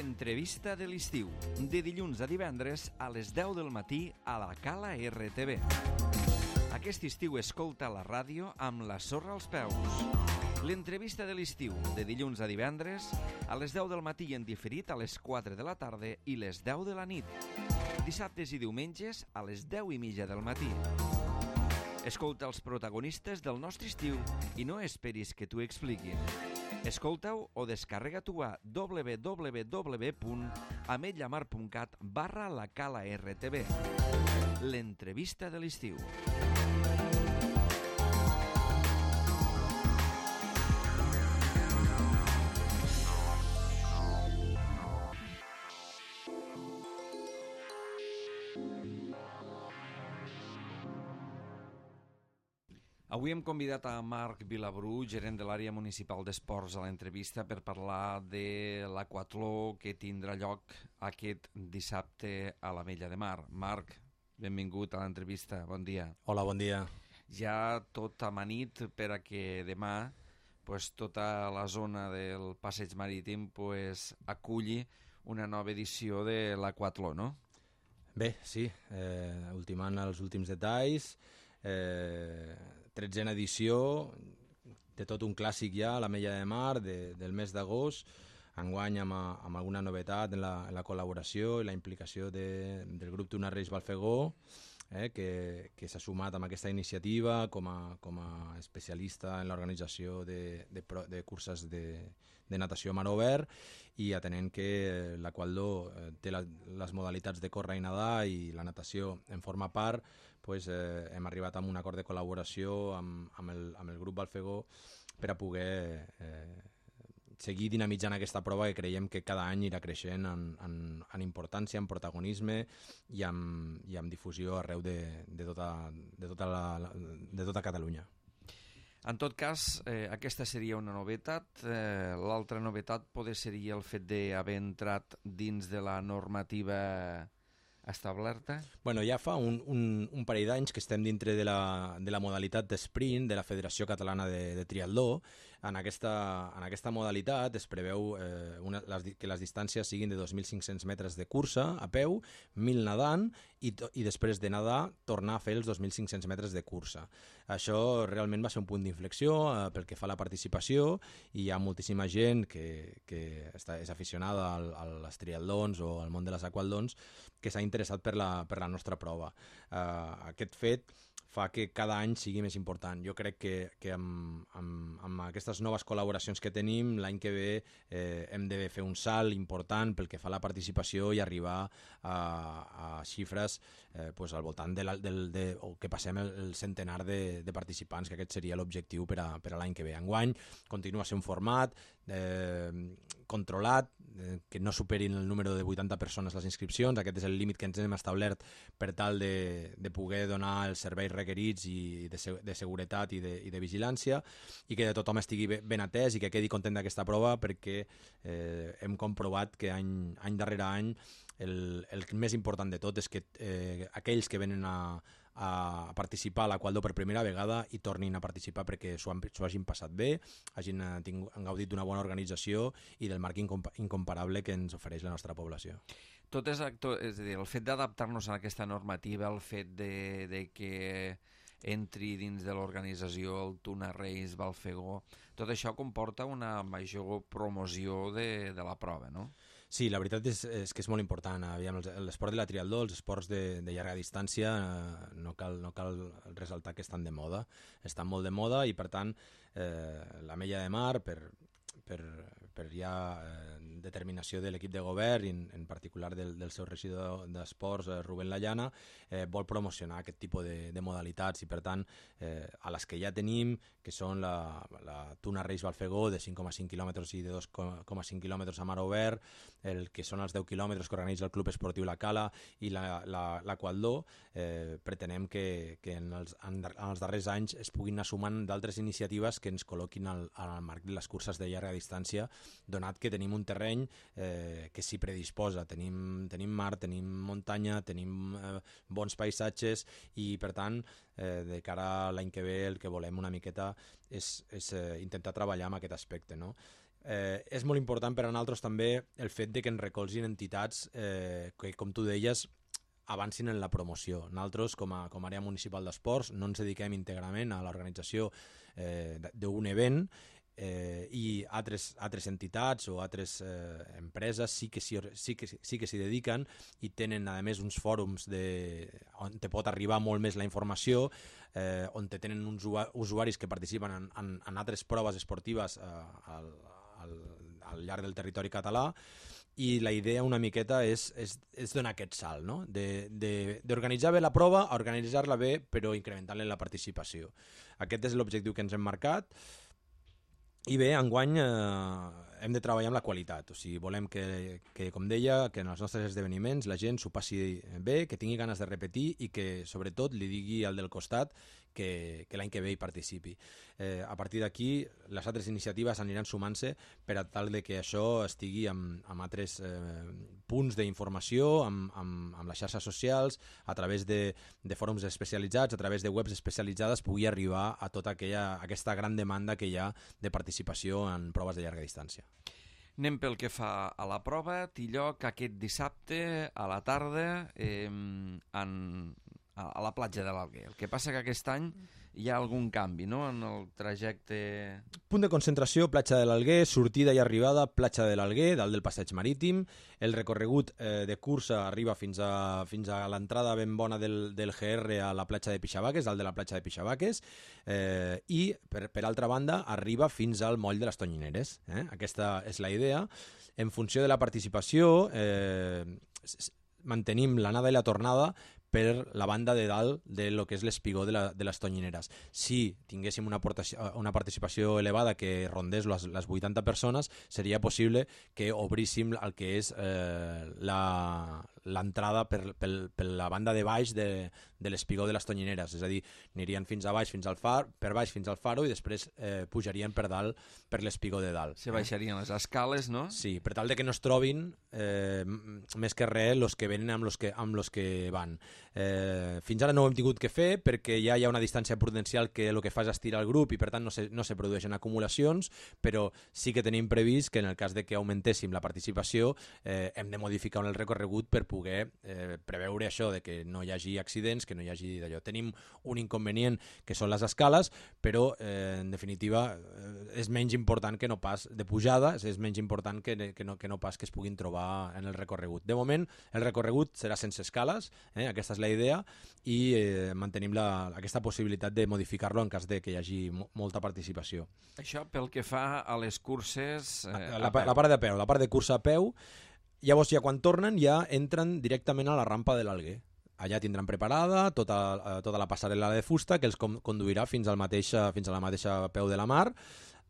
l'entrevista de l'estiu, de dilluns a divendres a les 10 del matí a la Cala RTV. Aquest estiu escolta la ràdio amb la sorra als peus. L'entrevista de l'estiu, de dilluns a divendres a les 10 del matí i en diferit a les 4 de la tarda i les 10 de la nit. Dissabtes i diumenges a les 10:30 del matí. Escolta els protagonistes del nostre estiu i no esperis que t'ho expliquin. Escolta-ho o descarrega-t'ho a www.ametlllamar.cat/la Cala RTV. L'entrevista de l'estiu. Avui hem convidat a Marc Vilabrú, gerent de l'àrea municipal d'esports, a l'entrevista per parlar de l'aquatló que tindrà lloc aquest dissabte a l'Ametlla de Mar. Marc, benvingut a l'entrevista, bon dia. Hola, bon dia. Ja tot amanit per a que demà tota la zona del passeig marítim aculli una nova edició de l'aquatló, no? Bé, sí, ultimant els últims detalls, 13a edició de tot un clàssic ja a l'Ametlla de Mar del mes d'agost, enguany amb alguna novetat en la col·laboració i la implicació del grup Tuna Reis Balfegó, que s'ha sumat amb aquesta iniciativa com a especialista en l'organització de curses de natació a mar obert, i atenent que l'aquatló té les modalitats de córrer i nedar i la natació en forma part, hem arribat a un acord de col·laboració amb el grup Balfegó per a poder seguir dinamitzant aquesta prova que creiem que cada any irà creixent en importància, en protagonisme i amb difusió arreu de tota Catalunya. En tot cas, aquesta seria una novetat. L'altra novetat seria el fet d'haver entrat dins de la normativa establerta? Bueno, ja fa un parell d'anys que estem dintre de la modalitat d'esprint de la Federació Catalana de Triatló. En aquesta modalitat es preveu que les distàncies siguin de 2.500 metres de cursa a peu, 1.000 nedant i després de nedar tornar a fer els 2.500 metres de cursa. Això realment va ser un punt d'inflexió pel que fa a la participació, i hi ha moltíssima gent que és aficionada als triatlons o al món de les aquatlons que s'ha interessat per la nostra prova. Aquest fet fa que cada any sigui més important. Jo crec que amb aquestes noves col·laboracions que tenim, l'any que ve hem de fer un salt important pel que fa a la participació i arribar a xifres al voltant o que passem el centenar de participants, que aquest seria l'objectiu per a l'any que ve. Enguany continua a ser un format controlat, que no superin el número de 80 persones les inscripcions. Aquest és el límit que ens hem establert per tal de poder donar els serveis requerits i de seguretat i de vigilància, i que tothom estigui ben atès i que quedi content d'aquesta prova, perquè hem comprovat que any darrere any el més important de tot és que aquells que venen a participar a l'aquatló per primera vegada i tornin a participar perquè s'ho hagin passat bé, han gaudit d'una bona organització i del marc incomparable que ens ofereix la nostra població. Tot és a dir, el fet d'adaptar-nos a aquesta normativa, el fet de que entri dins de l'organització el Tuna Reis Balfegó, tot això comporta una major promoció de la prova, no? Sí, la veritat és que és molt important. L'esport de la triatló, els esports de llarga distància, no cal ressaltar que estan de moda. Estan molt de moda i, per tant, l'Ametlla de Mar, per ja determinació de l'equip de govern i en particular del seu regidor d'esports, Rubén Layana, vol promocionar aquest tipus de modalitats, i per tant a les que ja tenim, que són la Tuna Reis Balfegó de 5,5 quilòmetres i de 2,5 quilòmetres a mar obert, el que són els 10 quilòmetres que organitza el Club Esportiu La Cala i l'aquatló, pretenem que en els darrers anys es puguin anar sumant d'altres iniciatives que ens col·loquin al marc de les curses de llarga distància, donat que tenim un terreny que s'hi predisposa. Tenim mar, tenim muntanya, tenim bons paisatges, i per tant de cara a l'any que ve el que volem una miqueta és intentar treballar amb aquest aspecte, no? és molt important per a nosaltres també el fet de que ens recolzin entitats que, com tu deies, avancin en la promoció. Nosaltres, com a àrea municipal d'esports, no ens dediquem íntegrament a l'organització d'un event, i altres entitats o altres empreses sí que s'hi dediquen i tenen a més uns fòrums on te pot arribar molt més la informació, on te tenen uns usuaris que participen en altres proves esportives al llarg del territori català, i la idea una miqueta és donar aquest salt, no? D'organitzar bé la prova, organitzar-la bé, però incrementant-ne la participació. Aquest és l'objectiu que ens hem marcat. I bé, enguany hem de treballar amb la qualitat, o sigui, volem que, com deia, que en els nostres esdeveniments la gent s'ho passi bé, que tingui ganes de repetir i que, sobretot, li digui al del costat que l'any que ve hi participi. A partir d'aquí, les altres iniciatives aniran sumant-se per a tal de que això estigui amb altres punts d'informació, amb les xarxes socials, a través de fòrums especialitzats, a través de webs especialitzades, pugui arribar a tota aquesta gran demanda que hi ha de participació en proves de llarga distància. Anem pel que fa a la prova. Té lloc aquest dissabte a la tarda a la platja de l'Alguer. El que passa que aquest any hi ha algun canvi, no?, en el trajecte... Punt de concentració, platja de l'Alguer, sortida i arribada, platja de l'Alguer, dalt del passeig marítim. El recorregut de cursa arriba fins a l'entrada ben bona del GR a la platja de Pixabaques, dalt de la platja de Pixabaques, i, per altra banda, arriba fins al moll de les Tonyineres. Aquesta és la idea. En funció de la participació, mantenim l'anada i la tornada per la banda de dalt de lo que és l'espigó de les Tonyineres. Si tinguéssim una participació elevada que rondés les 80 persones, seria possible que obríssim el que és l'entrada per la banda de baix de l'espigó de les Tonyineres, és a dir, anirien fins a baix, per baix fins al faro, i després pujarien per dalt per l'espigó de dalt. Se baixarien les escales, no? Sí, per tal de que no es trobin més que res els que venen amb los que van. Fins ara no ho hem tingut que fer perquè ja hi ha una distància prudencial que el que fa és estirar el grup i per tant no se produeixen acumulacions, però sí que tenim previst que en el cas de que augmentéssim la participació hem de modificar el recorregut per poder preveure això, de que no hi hagi accidents, que no hi hagi d'allò. Tenim un inconvenient que són les escales, però en definitiva és menys important que no pas de pujada, és menys important que no pas que es puguin trobar en el recorregut. De moment el recorregut serà sense escales, aquesta és la idea, i mantenim aquesta possibilitat de modificar-lo en cas de que hi hagi molta participació. Això pel que fa a les curses... La part de peu, la part de cursa a peu. Llavors, ja quan tornen, ja entren directament a la rampa de l'Alguer. Allà tindran preparada tota la passarel·la de fusta que els conduirà fins a la mateixa peu de la mar.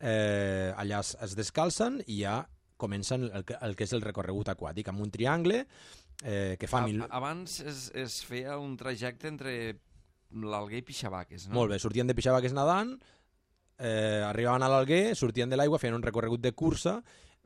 Allà es descalcen i ja comencen el que és el recorregut aquàtic, amb un triangle que fa... Abans es feia un trajecte entre l'Alguer i Pixabaques, no? Molt bé, sortien de Pixabaques nedant, arribaven a l'Alguer, sortien de l'aigua, feien un recorregut de cursa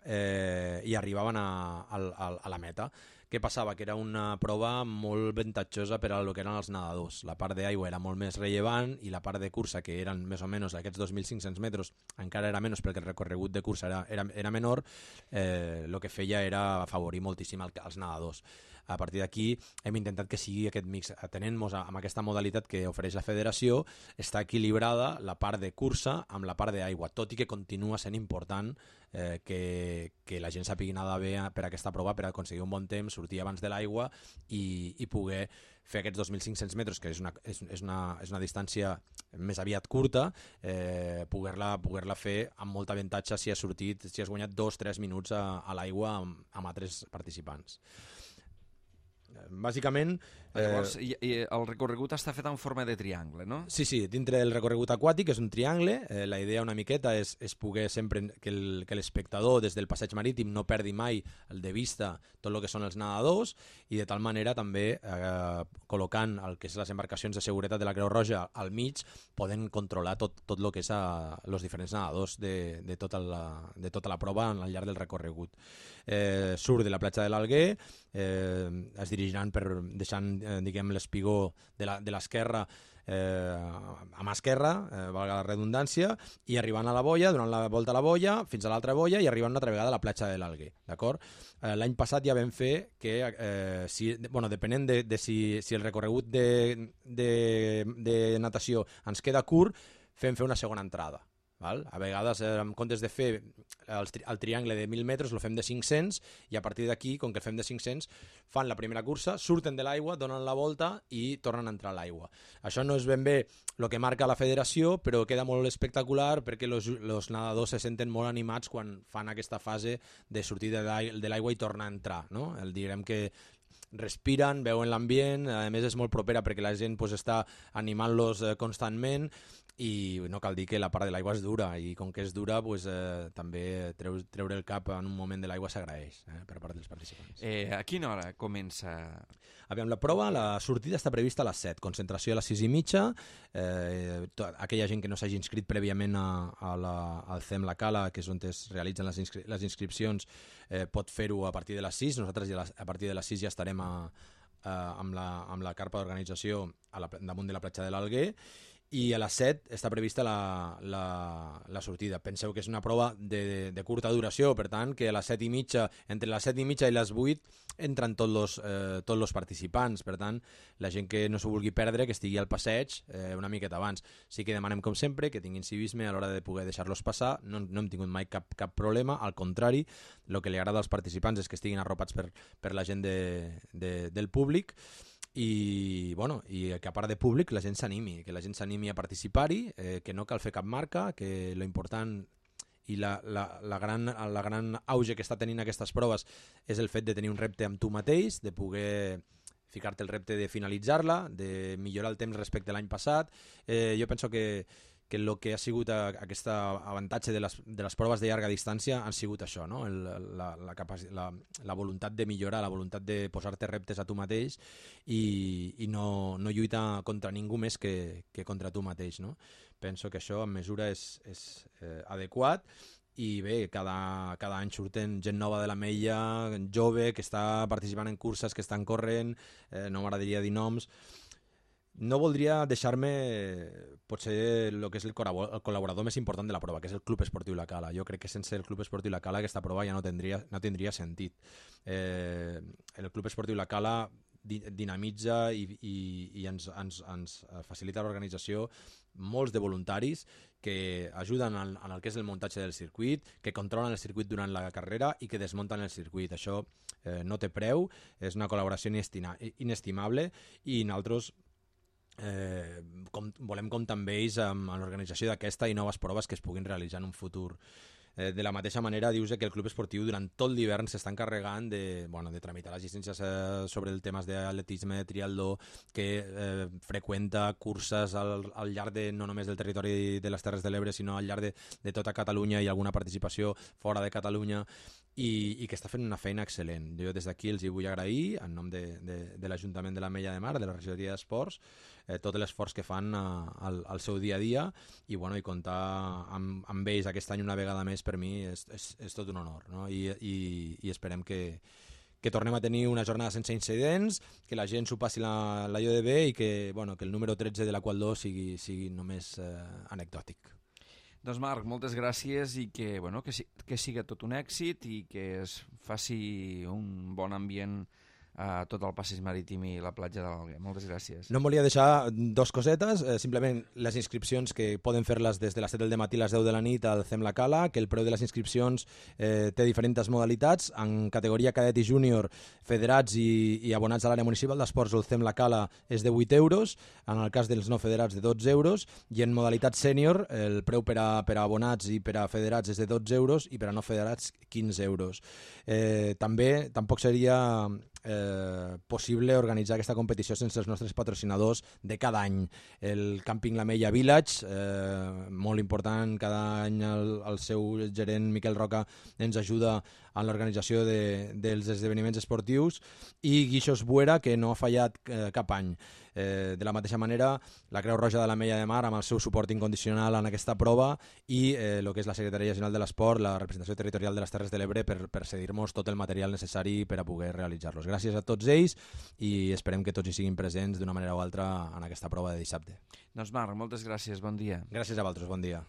i arribaven a la meta. Què passava? Que era una prova molt avantatjosa per a lo que eren els nedadors. La part d'aigua era molt més rellevant i la part de cursa, que eren més o menys aquests 2.500 metres, encara era menys perquè el recorregut de cursa era menor, el que feia era afavorir moltíssim els nedadors. A partir d'aquí hem intentat que sigui aquest mix. Atenent-nos amb aquesta modalitat que ofereix la federació, està equilibrada la part de cursa amb la part d'aigua, tot i que continua sent important que la gent sàpiga nedar bé per aquesta prova per aconseguir un bon temps, sortir abans de l'aigua i poder fer aquests 2.500 metres, que és una distància més aviat curta, poder-la fer amb molt avantatge si has guanyat 2-3 minuts a l'aigua amb altres participants. Bàsicament... Llavors, el recorregut està fet en forma de triangle, no? Sí, dintre del recorregut aquàtic és un triangle. La idea una miqueta és poder sempre que l'espectador des del passeig marítim no perdi mai de vista tot el que són els nedadors i de tal manera també col·locant el que és les embarcacions de seguretat de la Creu Roja al mig poden controlar tot el que és els diferents nedadors de tota la prova al llarg del recorregut. Surt de la platja de l'Alguer, es dirigiran deixant diguem l'espigó de l'esquerra a mà esquerra, valga la redundància, i arribant a la boia, donant la volta a la boia, fins a l'altra boia i arribant una altra vegada a la platja de l'Alguer, d'acord? L'any passat ja vam fer que, depenent de si el recorregut de natació ens queda curt, fem fer una segona entrada. Val? A vegades, en comptes de fer el triangle de 1.000 metres, el fem de 500 i a partir d'aquí, com que el fem de 500, fan la primera cursa, surten de l'aigua, donen la volta i tornen a entrar a l'aigua. Això no és ben bé el que marca la federació, però queda molt espectacular perquè els nedadors se senten molt animats quan fan aquesta fase de sortir de l'aigua i tornar a entrar. No? Direm que respiren, veuen l'ambient, a més és molt propera perquè la gent està animant-los constantment i no cal dir que la part de l'aigua és dura i com que és dura també treure el cap en un moment de l'aigua s'agraeix per part dels participants. A quina hora comença? Aviam, la prova, la sortida està prevista a les 7, concentració a les 6:30. Aquella gent que no s'hagi inscrit prèviament al CEM La Cala, que és on es realitzen les inscripcions, pot fer-ho a partir de les 6. Nosaltres a partir de les 6 ja estarem amb la carpa d'organització damunt de la platja de l'Alguer. I a les 7 està prevista la sortida. Penseu que és una prova de curta duració, per tant, que a les 7:30, entre les 7:30 i les 8 entren tots els participants. Per tant, la gent que no s'ho vulgui perdre, que estigui al passeig una miqueta abans. Sí que demanem, com sempre, que tinguin civisme a l'hora de poder deixar-los passar. No hem tingut mai cap problema, al contrari, el que li agrada als participants és que estiguin arropats per la gent del públic. I que a part de públic la gent s'animi, que la gent s'animi a participar-hi, que no cal fer cap marca, que lo important i la gran auge que està tenint aquestes proves és el fet de tenir un repte amb tu mateix, de poder ficar-te el repte de finalitzar-la, de millorar el temps respecte a l'any passat. Jo penso que el que ha sigut aquest avantatge de les proves de llarga distància han sigut això, no? La voluntat de millorar, la voluntat de posar-te reptes a tu mateix i no lluitar contra ningú més que contra tu mateix, no? Penso que això en mesura és adequat i bé, cada any surten gent nova de l'Ametlla, jove, que està participant en curses, que estan corrent, no m'agradaria dir noms. No voldria deixar-me potser el que és el col·laborador més important de la prova, que és el Club Esportiu La Cala. Jo crec que sense el Club Esportiu La Cala aquesta prova ja no tindria sentit. El Club Esportiu La Cala dinamitza i ens facilita l'organització molts de voluntaris que ajuden en el que és el muntatge del circuit, que controlen el circuit durant la carrera i que desmunten el circuit. Això no té preu, és una col·laboració inestimable i nosaltres volem comptar amb ells en l'organització d'aquesta i noves proves que es puguin realitzar en un futur. De la mateixa manera, dius que el club esportiu durant tot l'hivern s'està encarregant de tramitar les llicències sobre el temes d'atletisme, de triatló, que freqüenta curses al llarg no només del territori de les Terres de l'Ebre, sinó al llarg de tota Catalunya i alguna participació fora de Catalunya, i que està fent una feina excel·lent. Jo des d'aquí els hi vull agrair, en nom de l'Ajuntament de l'Ametlla de Mar, de la regidoria d'Esports, tot l'esforç que fan al seu dia a dia i comptar amb ells aquest any una vegada més per mi és tot un honor, no? I esperem que tornem a tenir una jornada sense incidents, que la gent s'ho passi l'allò de bé i que el número 13 de la Qual 2 sigui només anecdòtic. Doncs Marc, moltes gràcies i que siga tot un èxit i que es faci un bon ambient a tot el passeig marítim i la platja de l'Alguer. Moltes gràcies. No em volia deixar dos cosetes, simplement les inscripcions que poden fer-les des de les 7 del matí a les 10 de la nit al CEM La Cala, que el preu de les inscripcions té diferents modalitats. En categoria cadet i júnior, federats i abonats a l'àrea municipal d'esports, el CEM La Cala és de 8 euros, en el cas dels no federats de 12 euros, i en modalitat sènior el preu per a abonats i per a federats és de 12 euros i per a no federats 15 euros. Tampoc seria possible organitzar aquesta competició sense els nostres patrocinadors de cada any. El Càmping l'Ametlla Village, molt important, cada any el seu gerent Miquel Roca ens ajuda en l'organització dels esdeveniments esportius, i Guixos Buera, que no ha fallat cap any. De la mateixa manera, la Creu Roja de l'Ametlla de Mar amb el seu suport incondicional en aquesta prova, i el que és la Secretaria General de l'Esport, la representació territorial de les Terres de l'Ebre, per cedir-nos tot el material necessari per a poder realitzar-los. Gràcies a tots ells i esperem que tots hi siguin presents d'una manera o altra en aquesta prova de dissabte. Doncs Marc, moltes gràcies, bon dia. Gràcies a vosaltres, bon dia.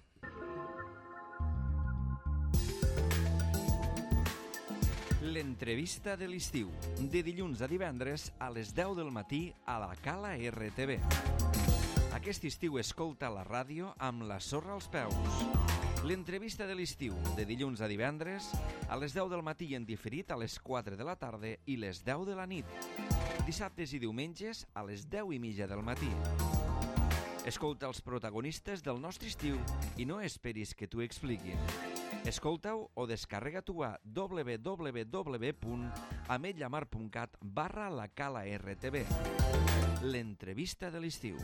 L'entrevista de l'estiu, de dilluns a divendres a les 10 del matí a la Cala RTV. Aquest estiu escolta la ràdio amb la sorra als peus. L'entrevista de l'estiu, de dilluns a divendres a les 10 del matí i en diferit a les 4 de la tarda i les 10 de la nit. Dissabtes i diumenges a les 10:30 del matí. Escolta els protagonistes del nostre estiu i no esperis que t'ho expliquin. Escolta-ho o descarrega-t'ho a www.ametlllamar.cat/la Cala RTV. L'entrevista de l'estiu.